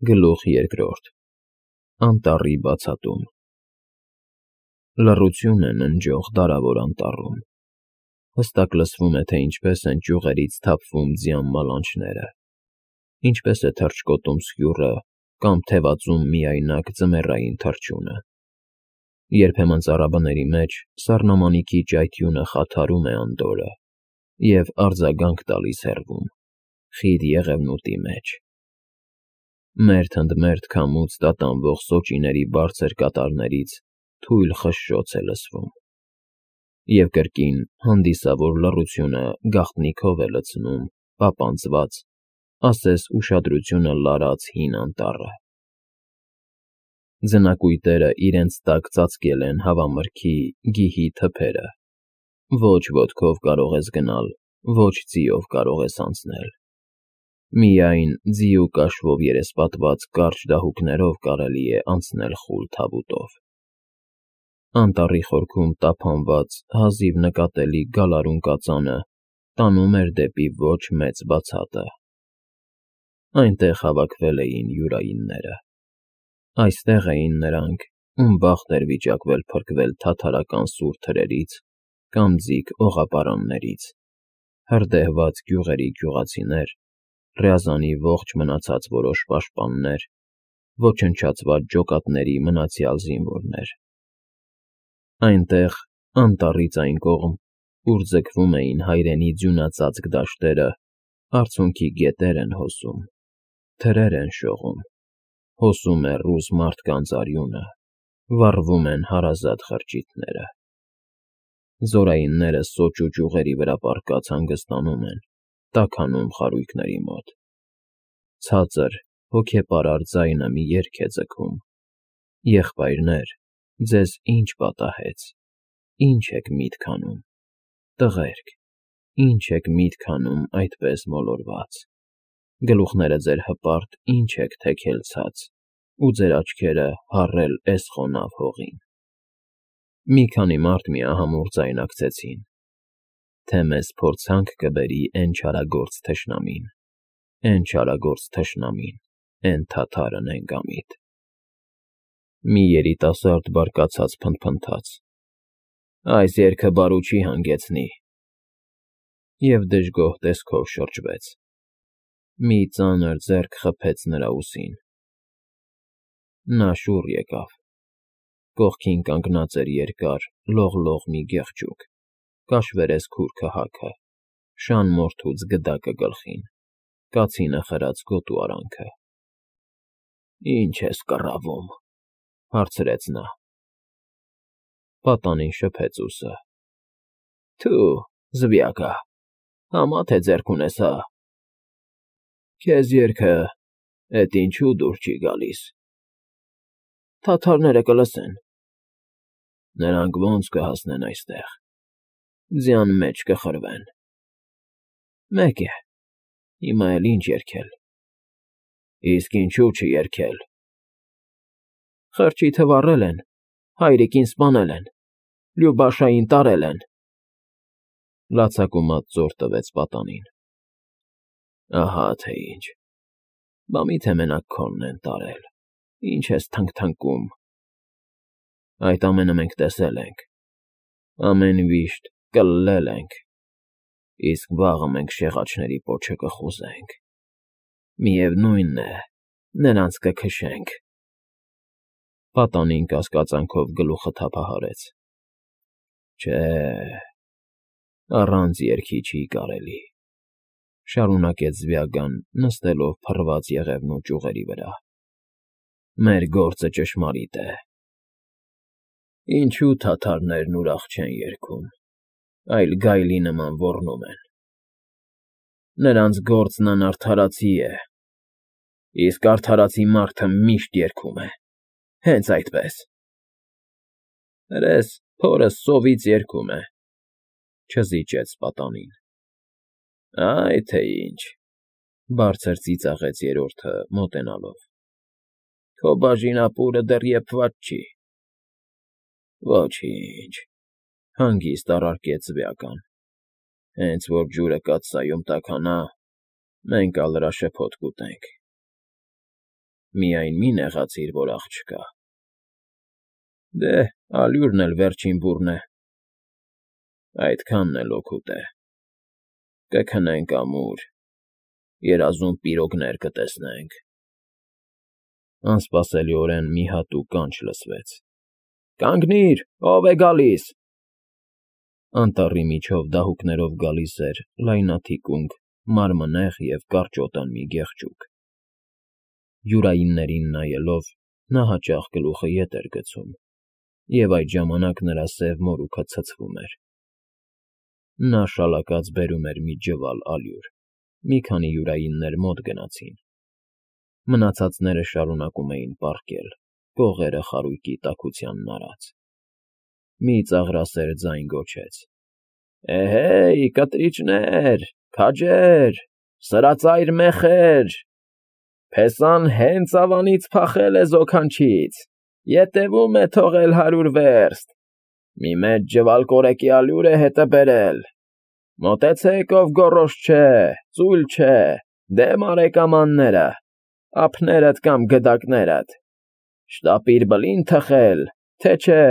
Գլուխ երկրորդ Անտառի բացատում Լռություն է ննջող դարավոր անտառում, հստակ լսվում է, թե ինչպես են ճյուղերից թափվում ձյան մալանչները, ինչպես է թռչկոտում սկյուռը կամ թևածում միայնակ ձմեռային թռչյունը, երբեմն ծառաբների մեջ սառնամանիքի ճայթյունը խաթարում է անդորրը և արձագանք տալիս հեռվում, խիտ եղևնուտի մեջ, մերթ ընդ մերթ քամուց տատանվող սոճիների բարձր կատարներից թույլ խշշոց է լսվում, և կրկին հանդիսավոր լռությունը գաղտնիքով է լցնում պապանձված, ասես ուշադրությունը լարած հին անտառը, ձնակույտերը իրենց տակ ծածկել են հավամրգի գիհի թփերը, ոչ ոտքով կարող ես գնալ, ոչ ձիով կարող ես անցնել, միայն ձի ու կաշվով երեսպատված կարճ դահուկներով կարելի է անցնել խուլ թավուտով, անտառի խորքում տափանված հազիվ նկատելի գալարուն կածանը տանում էր դեպի ոչ մեծ բացատը, այնտեղ հավաքվել էին յուրայինները, այստեղ էին նրանք, ում բախտ էր վիճակվել փրկվել թաթարական սուր թրերից կամ ձիգ օղապարաններից, հրդեհված գյուղերի գյուղացիներ, Ռյազանի ողջ մնացած որոշ պաշտպաններ, ոչնչացված ջոկատների մնացյալ զինվորներ, այնտեղ, անտառից այն կողմ, ուր ձգվում էին հայրենի ձյունածածկ դաշտերը, արցունքի գետեր են հոսում, թրեր են շողում, հոսում է ռուս մարդկանց արյունը, վառվում են հարազատ խրճիթները, զորայինները սոճ ու ճյուղերի վրա պառկած հանգստանում են, տաքանում խարույկների մոտ, ցածր, հոգեպարար ձայնը մի երգ է ձգում. եղբայրներ, ձեզ ինչ պատահեց, ինչ եք միտք անում, տղերք, ինչ եք միտք անում այդպես մոլորված, գլուխները ձեր հպարտ ինչ եք թեքել ցած, ու ձեր աչքերը հառել էս խոնավ հողին, մի քանի մարդ միահամուռ ձայնակցեցին, թե մեզ փորձանք կբերի էն չարագործ թշնամին, էն թաթարը նենգամիտ, մի երիտասարդ բարկացած փնթփնթաց. այս երգը բարու չի հանգեցնի, և դժգոհ տեսքով շրջվեց, մի ծանր ձեռք խփեց նրա ուսին, նա շուռ եկավ, կողքին կանգնած էր երկար, լողլող մի գեղջյուկ, կաշվերես քուր քհաքը, շան մորթուց գդակը գլխին, կացինը խրած գոտու արանքը։ Ինչ ես կռավում, հարցրեց նա։ Պատանին շփեց ուսը։ Թու, զվյակա, համա թե ձեռք ունես, հա։ Քեզ երգը էդ ինչու դուր չի գալիս։ Թաթարները կլսեն։ Նրանք ոնց կհասնեն այստեղ։ Ձյան մեջ կխրվեն։ Մեկ է, հիմա էլ ինչ երգել։ Իսկ ինչու չերգել։ Խրճիթը վառել են, հայրիկին սպանել են, Լյուբաշային տարել են։ Լացակումած ծոր տվեց պատանին։ Ահա թե ինչ։ Բա միթե մենակ քոնն են տարել, ինչ ես թնգթնգում։ Այդ ամենը մենք տեսել ենք, ամեն վիշտ կլլել ենք, իսկ վաղը մենք շեղաչների պոչը կխուզենք, միևնույն է, նրանց կքշենք։ Պատանին կասկածանքով գլուխը թափահարեց։ Չէ, առանց երգի չի կարելի, շարունակեց Զվյագան, նստելով փռված եղևնու ճյուղերի վրա։ Մեր գործը ճշմարիտ է։ Ինչու թաթարներն ուրախ չեն երգում, այլ գայլի նման ոռնում են։ Նրանց գործն անարդարացի է, իսկ արդարացի մարդը միշտ երգում է, հենց այդպես։ Հրես փորս սովից երգում է, չզիջեց պատանին։ Այ թե ինչ, բարձր ծիծաղեց երրորդը, մոտենալով։ Քո բաժին ապուրը դեռ եփված չի։ Ոչինչ, հանգիստ առարկեց Զվյական։ Հենց որ ջուրը կաթսայում տաքանա, մենք ալ հրաշփոթ կուտենք։ Միայն մի նեղացիր, որ աղջկա։ Դե, ալյուրն էլ վերջին բուռն է։ Այդքանն էլ օգուտ է։ Կքնենք ամուր, երազում պիրոգներ կտեսնենք։ Անսպասելիորեն մի հատուկ կանչ լսվեց. «Կանգնիր, ով է գալիս»։ Անտառի միջով դահուկներով գալիս էր լայնաթիկունք, մարմնեղ և կարճոտան մի գեղջուկ։ Յուրայիններին նայելով՝ նա հաճախ գլուխը ետ էր գցում, և այդ ժամանակ նրա սև մորուքը ցցվում էր։ Նա շալակած բերում էր մի ջվալ ալյուր։ Մի քանի յուրայիններ մոտ գնացին։ Մնացածները շարունակում էին պառկել, կողերը խարույկի տաքությանն արած։ Մի ծաղրասեր ձայն գոչեց. «Էհեյ, կտրիչներ, քաջեր, սրածայր մեխեր, փեսան հենց ավանից փախել է զոքանչից, ետևում է թողել 100 վերստ, մի մեծ ջվալ կորեկի ալյուր է հետը բերել, մոտեցեք, ով գոռոզ չէ, ծույլ չէ, դեմ արեք ամանները, ափներդ կամ գդակներդ, շտապիր բլին թխել, թե չէ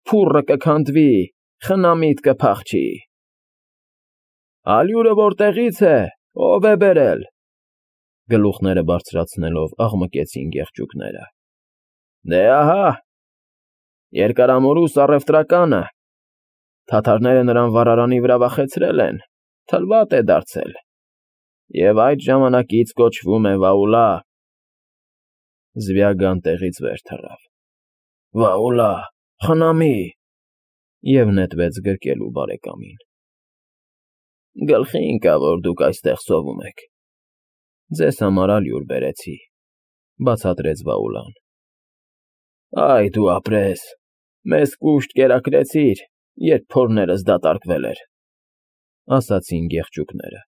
փուռը կքանդվի, խնամիդ կփախչի»։ «Ալյուրը որտեղից է, ով է բերել»։ Գլուխները բարձրացնելով աղմկեցին գեղջուկները։ «Դե ահա, Երկարամորուս առևտրականը, թաթարները նրան վառարանի վրա վախեցրել են, թլվատ է դարձել, և այդ ժամանակից կոչվում է Վաուլա»։ Զվյագան տեղից վեր թռավ։ «Վաուլա, խնամի», և նետվեց գրկելու բարեկամին։ «Գլխի ընկա, որ դուք այստեղ սովում եք։ Ձեզ համար ալյուր բերեցի», բացատրեց Վաուլան։ «Այ դու ապրես, մեզ կուշտ կերակրեցիր, երբ փորներս դատարկվել էր», ասացին գեղջուկները։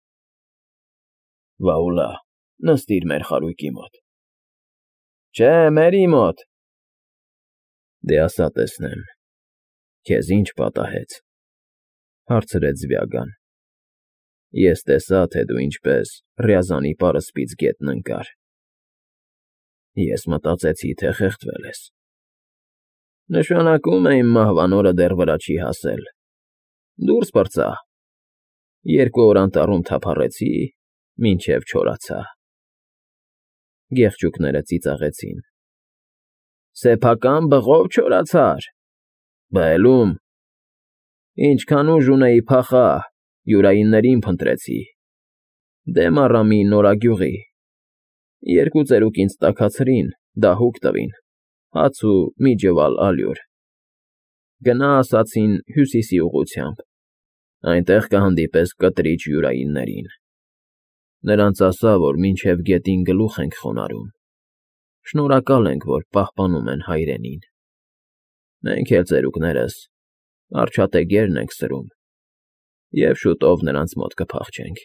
«Վաուլա, նստիր մեր խարույկի մոտ»։ «Չէ, մերի մոտ»։ «Դե ասա տեսնեմ, քեզ ինչ պատահեց», հարցրեց Զվյագան։ «Ես տեսա, թե դու ինչպես Ռյազանի պարսպից գետն ընկար։ Ես մտածեցի, թե խեղդվել ես։ Նշանակում է իմ մահվան օրը դեռ վրա չի հասել։ Դուրս պրծա։ 2 օր անտառում թափառեցի, մինչև չորացա»։ Գեղջուկները ծիծաղեցին։ «Սեփական բղով չորացար։ Բելում։ Ինչքան ուժ ունեի փախա, յուրայիններին փնտրեցի, դեմ առա մի նորագյուղի, 2 ծերուկ ինձ տաքացրին, դահուկ տվին, հաց ու մի ջվալ ալյուր։ Գնա ասացին հյուսիսի ուղղությամբ, այնտեղ կհանդիպես կտրիչ յուրայիններին։ Նրանց ասա, որ մինչև գետին գլուխ ենք խոնարհում, շնորհակալ ենք, որ պահպանում են հայրենին։ Մենք էլ ծերուկներս արջատեգերն ենք սրում, և շուտով նրանց մոտ կփախչենք»։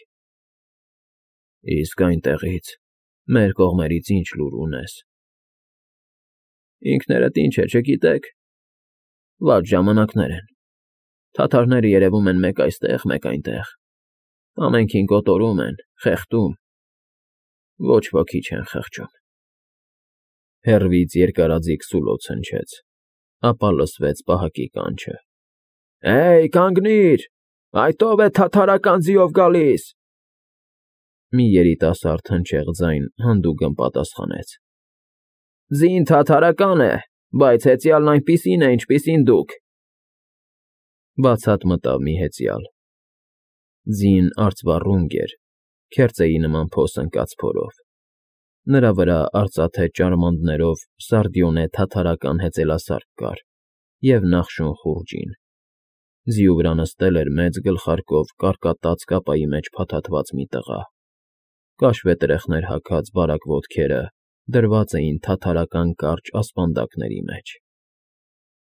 «Իսկ այնտեղից, մեր կողմերից ինչ լուր ունես»։ «Ինքներդ ինչ է, չգիտեք։ Վատ ժամանակներ են, թաթարները երևում են մեկ այստեղ, մեկ այնտեղ, ամենքին կոտորում են, խեղդում, ոչ ոքի չեն խղճում»։ Հեռվից երկարաձիգ սուլոց հնչեց, ապա լսվեց պահակի կանչը. «Հեյ, կանգնիր, այդ ով է թաթարական ձիով գալիս»։ Մի երիտասարդ հնչեղ ձայն հանդուգն պատասխանեց. «Ձին թաթարական է, բայց հեծյալն այնպիսին է, ինչպիսին դուք»։ Բացատ մտավ մի հեծյալ։ Ձին արծվառունգ էր, քերծեի նման փոս ընկած փորով։ Նրա վրա արծաթե ճարմաններով սարդիոնե թաթարական հեծելասարք կար և նախշուն խուռջին։ Ձիու վրա նստել էր մեծ գլխարկով կարկատած կապայի մեջ փաթաթված մի տղա։ Կաշվե տրեխներ հագած բարակ ոտքերը դրված էին թաթարական կարճ ասպանդակների մեջ։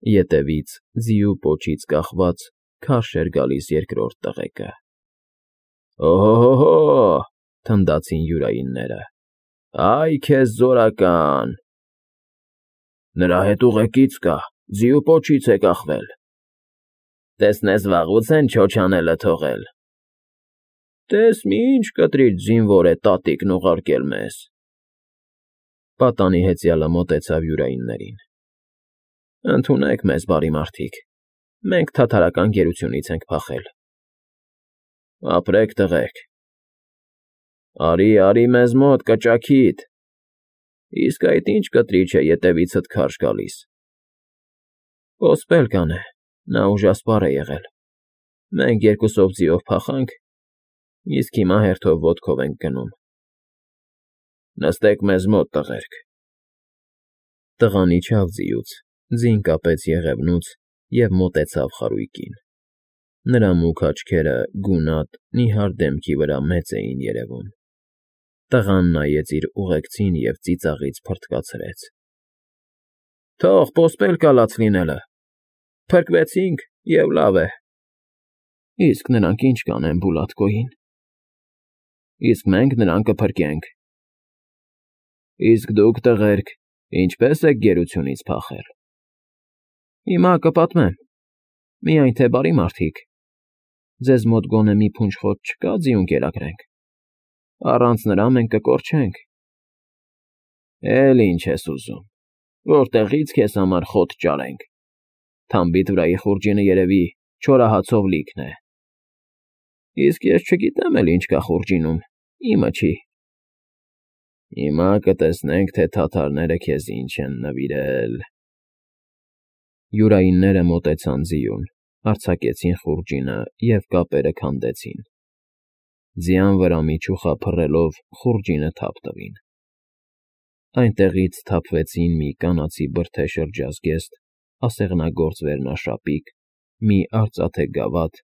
Ետևից, ձիու պոչից կախված, քարշ էր գալիս երկրորդ տղեկը։ «Օհո՜հո՜հո՜», թնդացին յուրայինները։ «Այ քեզ զորական»։ «Նրա հետ ուղեկից կա, ձիու պոչից է կախվել»։ «Տեսնես վաղուց են չոչանելը թողել»։ «Տես մի ինչ կտրիչ զինվոր է տատիկն ուղարկել մեզ»։ Պատանի հեծյալը մոտեցավ յուրայիններին։ Ընդունեք մեզ, բարի մարդիկ, մենք թաթարական գերությունից ենք փախել։ Ապրեք, տղերք։ Արի մեզ մոտ, կճաքիդ։ Իսկ այդ ինչ կտրիչ է ետևիցդ քարշ գալիս։ Ոսպելկան է, նա ուժասպառ է եղել։ Մենք երկուսով ձիով փախանք, իսկ հիմա հերթով ոտքով ենք գնում։ Նստեք մեզ մոտ, տղերք։ Տղան իջավ ձիուց, ձին կապեց եղևնուց և մոտեցավ խարույկին։ Նրա մուգ աչքերը գունատ, նիհար դեմքի վրա մեծ էին երևում։ Տղան նայեց իր ուղեկցին և ծիծաղից փռթկացրեց։ Թող ոսպելկա լաց լինելը։ Փրկվեցինք և լավ է։ Իսկ նրանք ինչ կանեն Բուլատկոյին։ Իսկ մենք նրան կփրկենք։ Իսկ դուք, տղերք, ինչպե՞ս եք գերությունից փախել։ Հիմա կպատմեմ, միայն թե բարի մարդիկ, ձեզ մոտ գոնե մի փունջ խոտ չկա ձիուն կերակրենք։ Առանց նրա մենք կկորչենք։ Էլ ինչ ես ուզում, որտեղի՞ց քեզ համար խոտ ճարենք։ Թամբիդ վրայի խուրջինը երևի չորահացով լիքն է։ Իսկ ես չգիտեմ էլ ինչ կա խուրջինում, իմը չի։ Հիմա կտեսնենք, թե թաթարները քեզ ինչ են նվիրել։ Յուրայինները մոտեցան ձիուն, արձակեցին խուրջինը և կապերը քանդեցին։ Ձյան վրա միջուխա փռելով խուրջինը թափ տվին։ Այնտեղից թափվեցին մի կանացի բրդե շրջազգեստ, ասեղնագործ վերնաշապիկ, մի արծաթե գավաթ,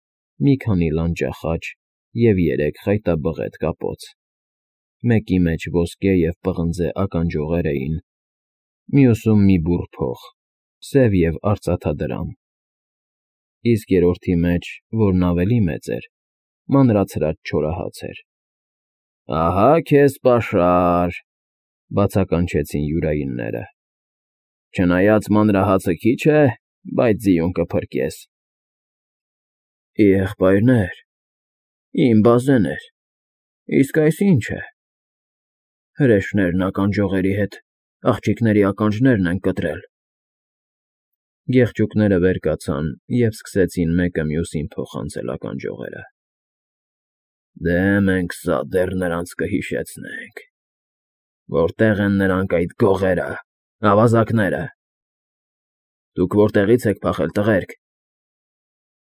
մի քանի լանջախաչ և 3 խայտաբղետ կապոց։ Մեկի մեջ ոսկե և պղնձե ականջողեր էին, մյուսում մի բուռ փող, սև և արծաթադրամ, իսկ երրորդի մեջ, որն ավելի մեծ էր, մանրացրած չորահաց էր։ Ահա քեզ պաշար, բացականչեցին յուրայինները։ Չնայած մանրահացը քիչ է, բայց ձիուն կփրկես։ Եղբայրներ, իմ բազեներ, իսկ այս ի՞նչ է։ Հրեշներն ականջողերի հետ աղջիկների ականջներն են կտրել։ Գեղչուկները վեր կացան և սկսեցին մեկը մյուսին փոխանցել ականջողերը։ Դե մենք սա դեռ նրանց կհիշեցնենք։ Որտե՞ղ են նրանք այդ գողերը, ավազակները։ Դուք որտեղի՞ց եք փախել, տղերք։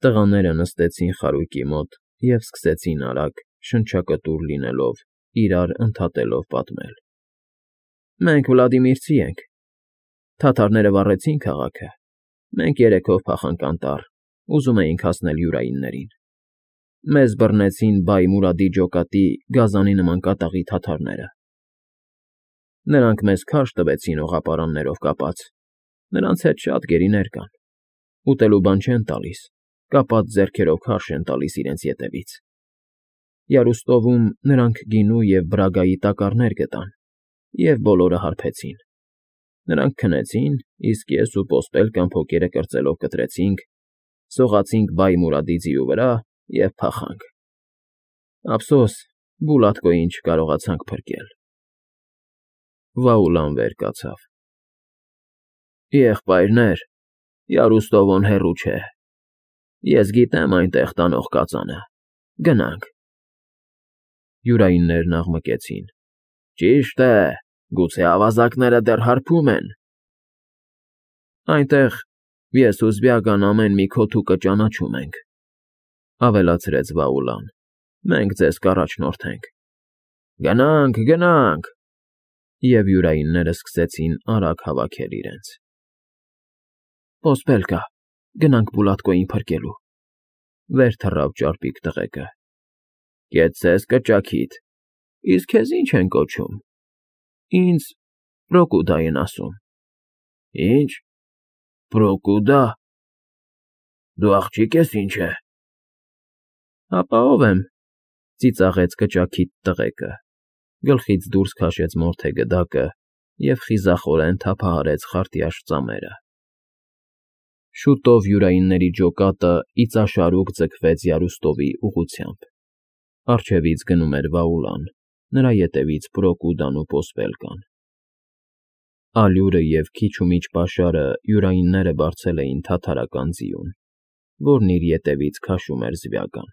Տղաները նստեցին խարույկի մոտ և սկսեցին արագ, շնչակտուր լինելով, իրար ընդհատելով պատմել։ Մենք Վլադիմիրցի ենք։ Թաթարները վառեցին քաղաքը։ Մենք 3-ով փախանք անտառ, ուզում էինք հասնել յուրայիններին։ Մեզ բռնեցին Բայ Մուրադի ջոկատի գազանի նման կատաղի թաթարները։ Նրանք մեզ քարշ տվեցին օղապարաններով կապած։ Նրանց հետ շատ գերիներ կան։ Ուտելու բան չեն տալիս, կապած ձեռքերով քարշ են տալիս իրենց ետևից։ Յարուստովում նրանք գինու և բրագայի տակառներ գտան և բոլորը հարբեցին։ Նրանք քնեցին, իսկ ես ու ոսպելկան փոկերը կրծելով կտրեցինք, սողացինք Բայ Մուրադի ձիու վրա և փախանք։ Ափսոս, Բուլատկոյին չկարողացանք փրկել։ Վաուլան վեր կացավ։ Եղբայրներ, Յարուստովոն հեռու չէ։ Ես գիտեմ այնտեղ տանող կածանը։ Գնանք։ Յուրայիններն աղմկեցին։ Ճիշտ է, գուցե ավազակները դեռ հարբում են։ Այնտեղ ես ու Զբյագան ամեն մի քոթուկը ճանաչում ենք, ավելացրեց Վաուլան։ Մենք ձեզ կառաջնորդենք։ Գնանք։ Եվ յուրայինները սկսեցին արագ հավաքել իրենց։ Ոսպելկա, գնանք Բուլատկոյին փրկելու։ Վեր թռավ ճարպիկ տղեկը։ Կեցցես կճաքիդ, իսկ քեզ ի՞նչ են կոչում։ Ինձ Պրոկուդա են ասում։ Ինչ։ Պրոկուդա։ Դու աղջիկ ես ինչ է։ Հապա ով եմ, ծիծաղեց կճաքիդ տղեկը, գլխից դուրս քաշեց մորթե գդակը և խիզախորեն թափահարեց խարտյաշ ծամերը։ Շուտով յուրայինների ջոկատը իծաշարուկ ձգվեց Յարուստովի ուղղությամբ։ Առջևից գնում էր Վաուլան, նրա ետևից Պրոկուդան ու ոսպելկան։ Ալյուրը և քիչ ու միջ պաշարը յուրայինները բարձել էին թաթարական ձիուն, որն իր ետևից քաշում էր զվյական։